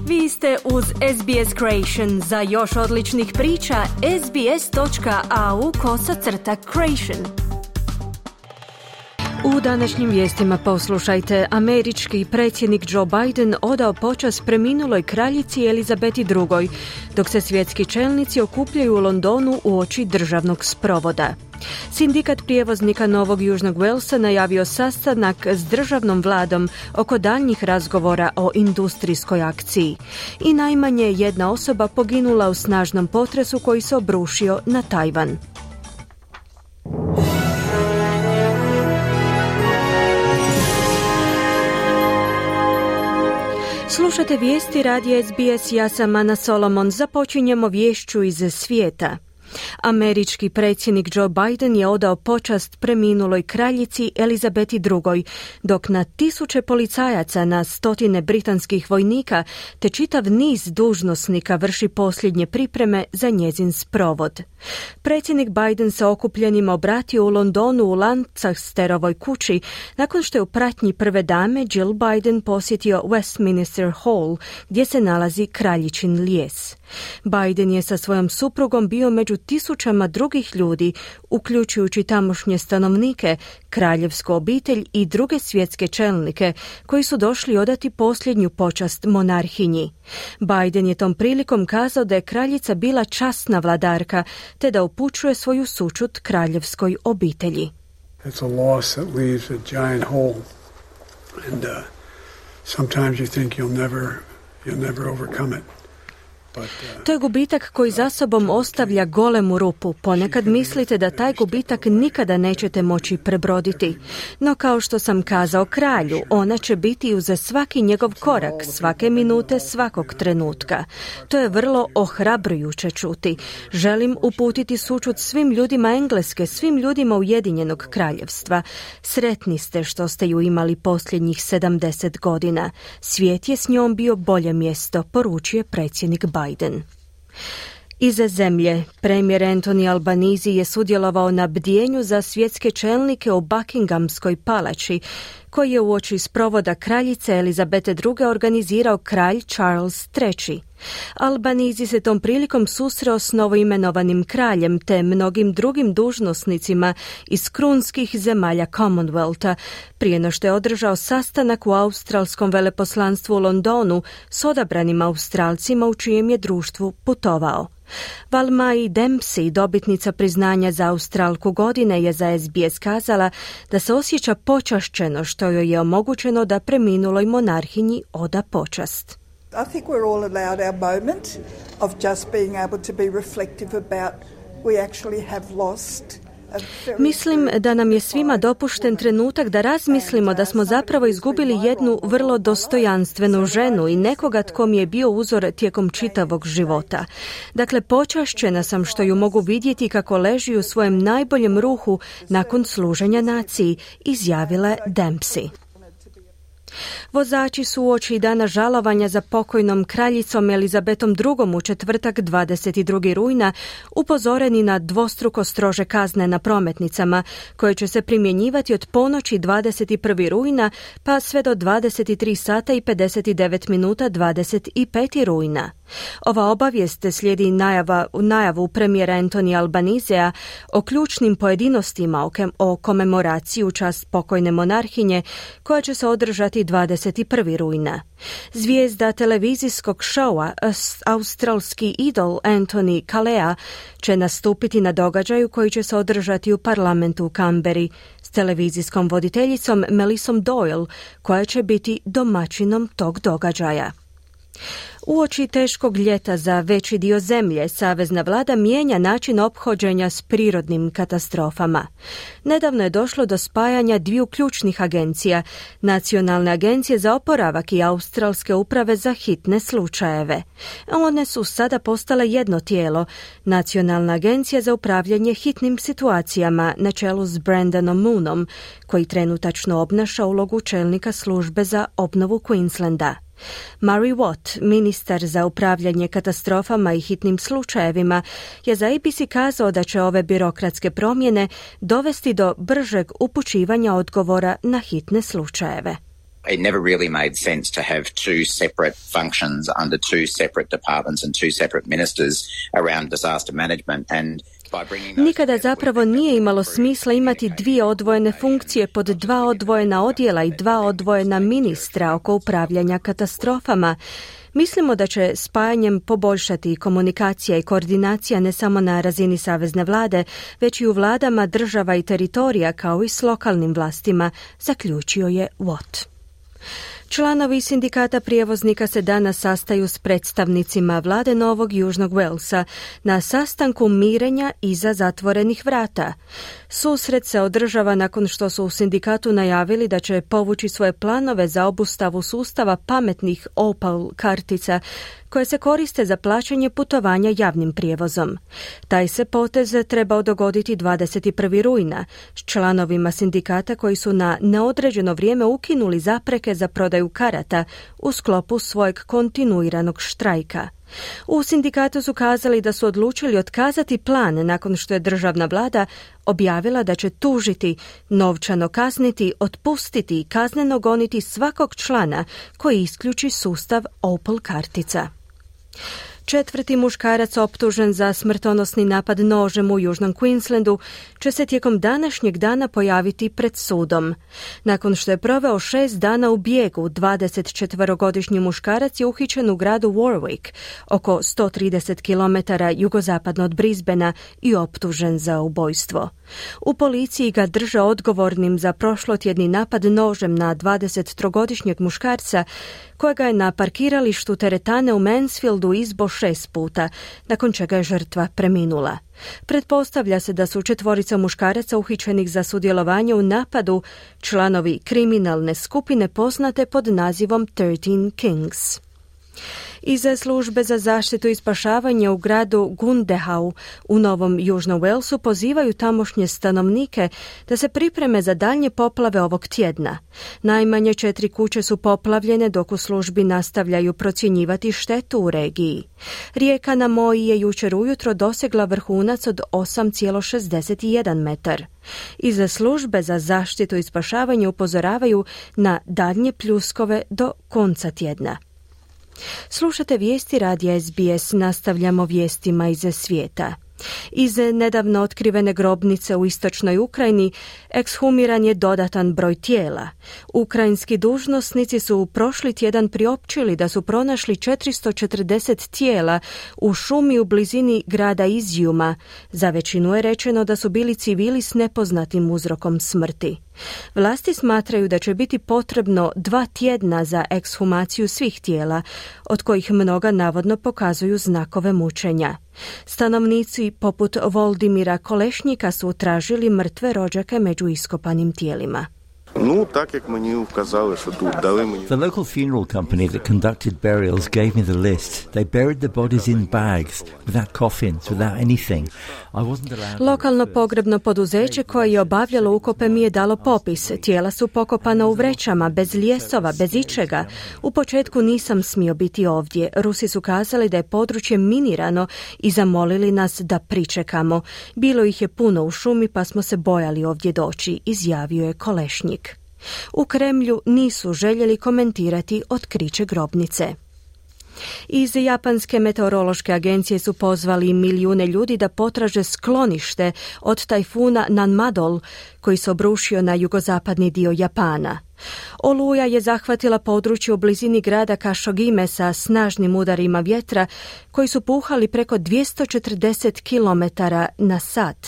Vi ste uz SBS Creation. Za još odličnih priča, sbs.au/creation. U današnjim vijestima poslušajte. Američki predsjednik Joe Biden odao počast preminuloj kraljici Elizabeti II, dok se svjetski čelnici okupljaju u Londonu uoči državnog sprovoda. Sindikat prijevoznika Novog Južnog Walesa najavio sastanak s državnom vladom oko daljnjih razgovora o industrijskoj akciji. I najmanje jedna osoba poginula u snažnom potresu koji se obrušio na Tajvan. Slušate vijesti radija SBS, ja sam Ana Solomon. Započinjemo viješću iz svijeta. Američki predsjednik Joe Biden je odao počast preminuloj kraljici Elizabeti II, dok na tisuće policajaca, na stotine britanskih vojnika te čitav niz dužnosnika vrši posljednje pripreme za njezin sprovod. Predsjednik Biden se okupljenima obratio u Londonu u Lancasterovoj kući nakon što je u pratnji prve dame Jill Biden posjetio Westminster Hall, gdje se nalazi kraljičin lijes. Biden je sa svojom suprugom bio među tisućama drugih ljudi, uključujući tamošnje stanovnike, kraljevsku obitelj i druge svjetske čelnike, koji su došli odati posljednju počast monarhinji. Biden je tom prilikom kazao da je kraljica bila časna vladarka, te da upućuje svoju sućut kraljevskoj obitelji. It's a loss that leaves a giant hole, and sometimes you think you'll never overcome it. To je gubitak koji za sobom ostavlja golemu rupu. Ponekad mislite da taj gubitak nikada nećete moći prebroditi. No kao što sam kazao kralju, ona će biti uz svaki njegov korak, svake minute, svakog trenutka. To je vrlo ohrabrujuće čuti. Želim uputiti sućut svim ljudima Engleske, svim ljudima Ujedinjenog kraljevstva. Sretni ste što ste ju imali posljednjih 70 godina. Svijet je s njom bio bolje mjesto, poručuje predsjednik Biden. Iz zemlje, premijer Anthony Albanese je sudjelovao na bdjenju za svjetske čelnike u Buckinghamskoj palači, koji je uoči sprovoda kraljice Elizabete II organizirao kralj Charles III. Albanese se tom prilikom susreo s novoimenovanim kraljem te mnogim drugim dužnosnicima iz krunskih zemalja Commonwealtha, prije no što je održao sastanak u australskom veleposlanstvu u Londonu s odabranim Australcima u čijem je društvu putovao. Valmai Dempsey, dobitnica priznanja za Australku godine, je za SBS kazala da se osjeća počašćeno što joj je omogućeno da preminuloj monarhinji oda počast. I think we're all allowed our moment of just being able to be reflective about we actually have lost. Mislim da nam je svima dopušten trenutak da razmislimo da smo zapravo izgubili jednu vrlo dostojanstvenu ženu i nekoga tko mi je bio uzor tijekom čitavog života. Dakle, počašćena sam što ju mogu vidjeti kako leži u svojem najboljem ruhu nakon služenja naciji, izjavila je Dempsey. Vozači su uoči dana žalovanja za pokojnom kraljicom Elizabetom II u četvrtak 22. rujna upozoreni na dvostruko strože kazne na prometnicama, koje će se primjenjivati od ponoći 21. rujna pa sve do 23 sata i 59 minuta 25. rujna. Ova obavijest slijedi najavu premijera Anthony Albanesea o ključnim pojedinostima o komemoraciji u čast pokojne monarhinje koja će se održati 21. rujna. Zvijezda televizijskog šoua australski idol Anthony Kalea će nastupiti na događaju koji će se održati u parlamentu u Canberri s televizijskom voditeljicom Melissom Doyle, koja će biti domaćinom tog događaja. Uoči teškog ljeta za veći dio zemlje, savezna vlada mijenja način ophođenja s prirodnim katastrofama. Nedavno je došlo do spajanja dviju ključnih agencija, Nacionalne agencije za oporavak i Australske uprave za hitne slučajeve. One su sada postale jedno tijelo, Nacionalna agencija za upravljanje hitnim situacijama na čelu s Brendanom Moonom, koji trenutačno obnaša ulogu čelnika službe za obnovu Queenslanda. Murray Watt, ministar za upravljanje katastrofama i hitnim slučajevima, je za ABC kazao da će ove birokratske promjene dovesti do bržeg upućivanja odgovora na hitne slučajeve. It never really made sense to have two separate functions under two separate departments and two separate ministers around disaster management, and nikada zapravo nije imalo smisla imati dvije odvojene funkcije pod dva odvojena odjela i dva odvojena ministra oko upravljanja katastrofama. Mislimo da će spajanjem poboljšati komunikacija i koordinacija ne samo na razini savezne vlade, već i u vladama država i teritorija kao i s lokalnim vlastima, zaključio je Watt. Članovi sindikata prijevoznika se danas sastaju s predstavnicima vlade Novog Južnog Walesa na sastanku mirenja iza zatvorenih vrata. Susret se održava nakon što su u sindikatu najavili da će povući svoje planove za obustavu sustava pametnih Opal kartica koje se koriste za plaćanje putovanja javnim prijevozom. Taj se potez trebao dogoditi 21. rujna s članovima sindikata koji su na neodređeno vrijeme ukinuli zapreke za prodaju karata u sklopu svojeg kontinuiranog štrajka. U sindikatu su kazali da su odlučili otkazati plan nakon što je državna vlada objavila da će tužiti, novčano kazniti, otpustiti i kazneno goniti svakog člana koji isključi sustav Opal kartica. 4. muškarac optužen za smrtonosni napad nožem u Južnom Queenslandu će se tijekom današnjeg dana pojaviti pred sudom. Nakon što je proveo 6 dana u bijegu, 24-godišnji muškarac je uhićen u gradu Warwick, oko 130 km jugozapadno od Brisbanea i optužen za ubojstvo. U policiji ga drže odgovornim za prošlotjedni napad nožem na 23-godišnjeg muškarca kojega je na parkiralištu teretane u Mansfieldu izbo 6 puta, nakon čega je žrtva preminula. Pretpostavlja se da su 4 muškaraca uhićenih za sudjelovanje u napadu članovi kriminalne skupine poznate pod nazivom 13 Kings. Iz službe za zaštitu i spašavanje u gradu Gundehau u Novom Južnom Walesu pozivaju tamošnje stanovnike da se pripreme za daljnje poplave ovog tjedna. Najmanje 4 kuće su poplavljene dok u službi nastavljaju procjenjivati štetu u regiji. Rijeka na Moji je jučer ujutro dosegla vrhunac od 8,61 metar. Iz službe za zaštitu i spašavanje upozoravaju na daljnje pljuskove do konca tjedna. Slušate vijesti radija SBS, nastavljamo vijestima iz svijeta. Iz nedavno otkrivene grobnice u istočnoj Ukrajini ekshumiran je dodatan broj tijela. Ukrajinski dužnosnici su prošli tjedan priopćili da su pronašli 440 tijela u šumi u blizini grada Izjuma. Za većinu je rečeno da su bili civili s nepoznatim uzrokom smrti. Vlasti smatraju da će biti potrebno 2 tjedna za ekshumaciju svih tijela, od kojih mnoga navodno pokazuju znakove mučenja. Stanovnici poput Voldimira Kolešnjika su tražili mrtve rođake među iskopanim tijelima. The local funeral company that conducted burials gave me the list. They buried the bodies in bags, without coffins, without anything. I wasn't allowed. Lokalno pogrebno poduzeće koje je obavljalo ukope mi je dalo popis. Tijela su pokopana u vrećama, bez ljesova, bez ičega. U početku nisam smio biti ovdje. Rusi su kazali da je područje minirano i zamolili nas da pričekamo. Bilo ih je puno u šumi pa smo se bojali ovdje doći, izjavio je Kolešnjik. U Kremlju nisu željeli komentirati otkriće grobnice. Iz Japanske meteorološke agencije su pozvali milijune ljudi da potraže sklonište od tajfuna Nanmadol koji se obrušio na jugozapadni dio Japana. Oluja je zahvatila područje u blizini grada Kašogime sa snažnim udarima vjetra koji su puhali preko 240 km na sat.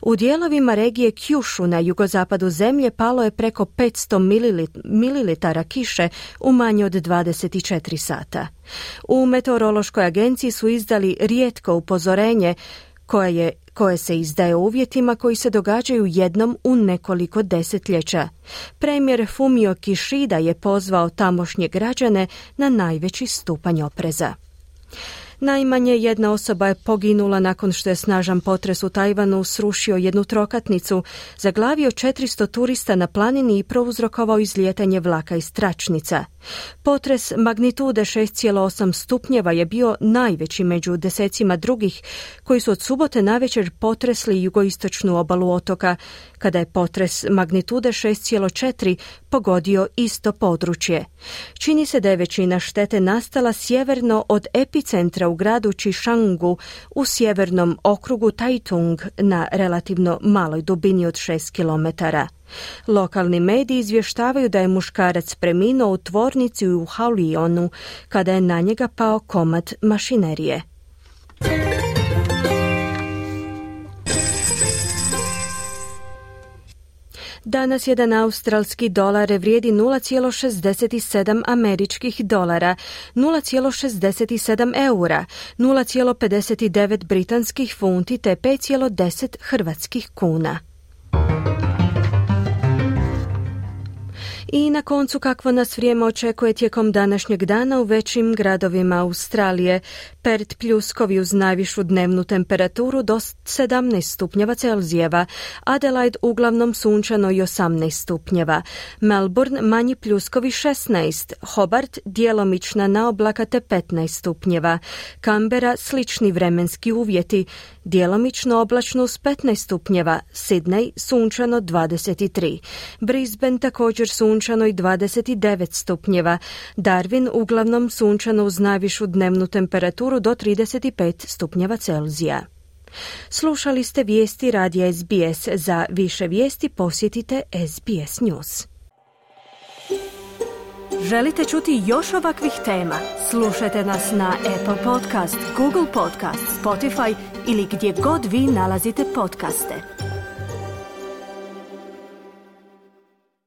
U dijelovima regije Kyushu na jugozapadu zemlje palo je preko 500 mililitara kiše u manje od 24 sata. U meteorološkoj agenciji su izdali rijetko upozorenje koje se izdaje u uvjetima koji se događaju jednom u nekoliko desetljeća. Premijer Fumio Kishida je pozvao tamošnje građane na najveći stupanj opreza. Najmanje jedna osoba je poginula nakon što je snažan potres u Tajvanu srušio jednu trokatnicu, zaglavio 400 turista na planini i prouzrokovao izlijetanje vlaka iz tračnica. Potres magnitude 6,8 stupnjeva je bio najveći među desecima drugih koji su od subote navečer potresli jugoistočnu obalu otoka, kada je potres magnitude 6,4 pogodio isto područje. Čini se da je većina štete nastala sjeverno od epicentra u gradu Chishangu u sjevernom okrugu Taitung na relativno maloj dubini od 6 kilometara. Lokalni mediji izvještavaju da je muškarac preminuo u tvornici u Haolionu kada je na njega pao komad mašinerije. Danas jedan australski dolar vrijedi 0,67 američkih dolara, 0,67 eura, 0,59 britanskih funti te 5,10 hrvatskih kuna. I na koncu kakvo nas vrijeme očekuje tijekom današnjeg dana u većim gradovima Australije. Perth pljuskovi uz najvišu dnevnu temperaturu do 17 stupnjeva Celzijeva, Adelaide uglavnom sunčano i 18 stupnjeva, Melbourne manji pljuskovi 16, Hobart djelomična naoblaka te 15 stupnjeva, Canberra slični vremenski uvjeti, djelomično oblačno uz 15 stupnjeva, Sydney sunčano 23, Brisbane također sunčano i 29 stupnjeva, Darwin uglavnom sunčano uz najvišu dnevnu temperaturu do 35 stupnjeva Celzija. Slušali ste vijesti radija SBS. Za više vijesti posjetite SBS News. Želite čuti još ovakvih tema? Slušajte nas na Apple Podcast, Google Podcast, Spotify ili gdje god vi nalazite podcaste.